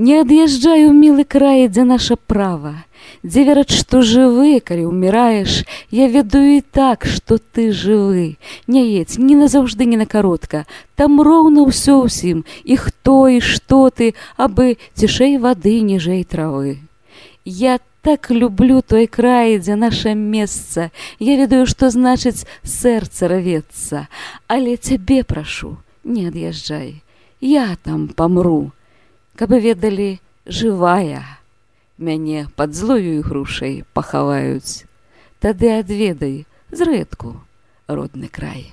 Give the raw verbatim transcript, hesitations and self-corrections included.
Не ад'язджаю, мілы край, дзе наша права, дзе вераць, што жывы, калі ўміраеш, я ведаю і так, што ты жывы. Не едзь ні назаўжды, ні на каротка, там роўна ўсё ўсім, і хто, і што ты, абы цішэй вады, ніжэй травы. Я так люблю той край, дзе наша месца, я ведаю, што значыць сэрца рвецца, але цябе прашу, не ад'язджай, я там памру. Каб ведалі, жывая, мяне пад злою ігрушай пахаваюць, тады адведай зрэдку родны край.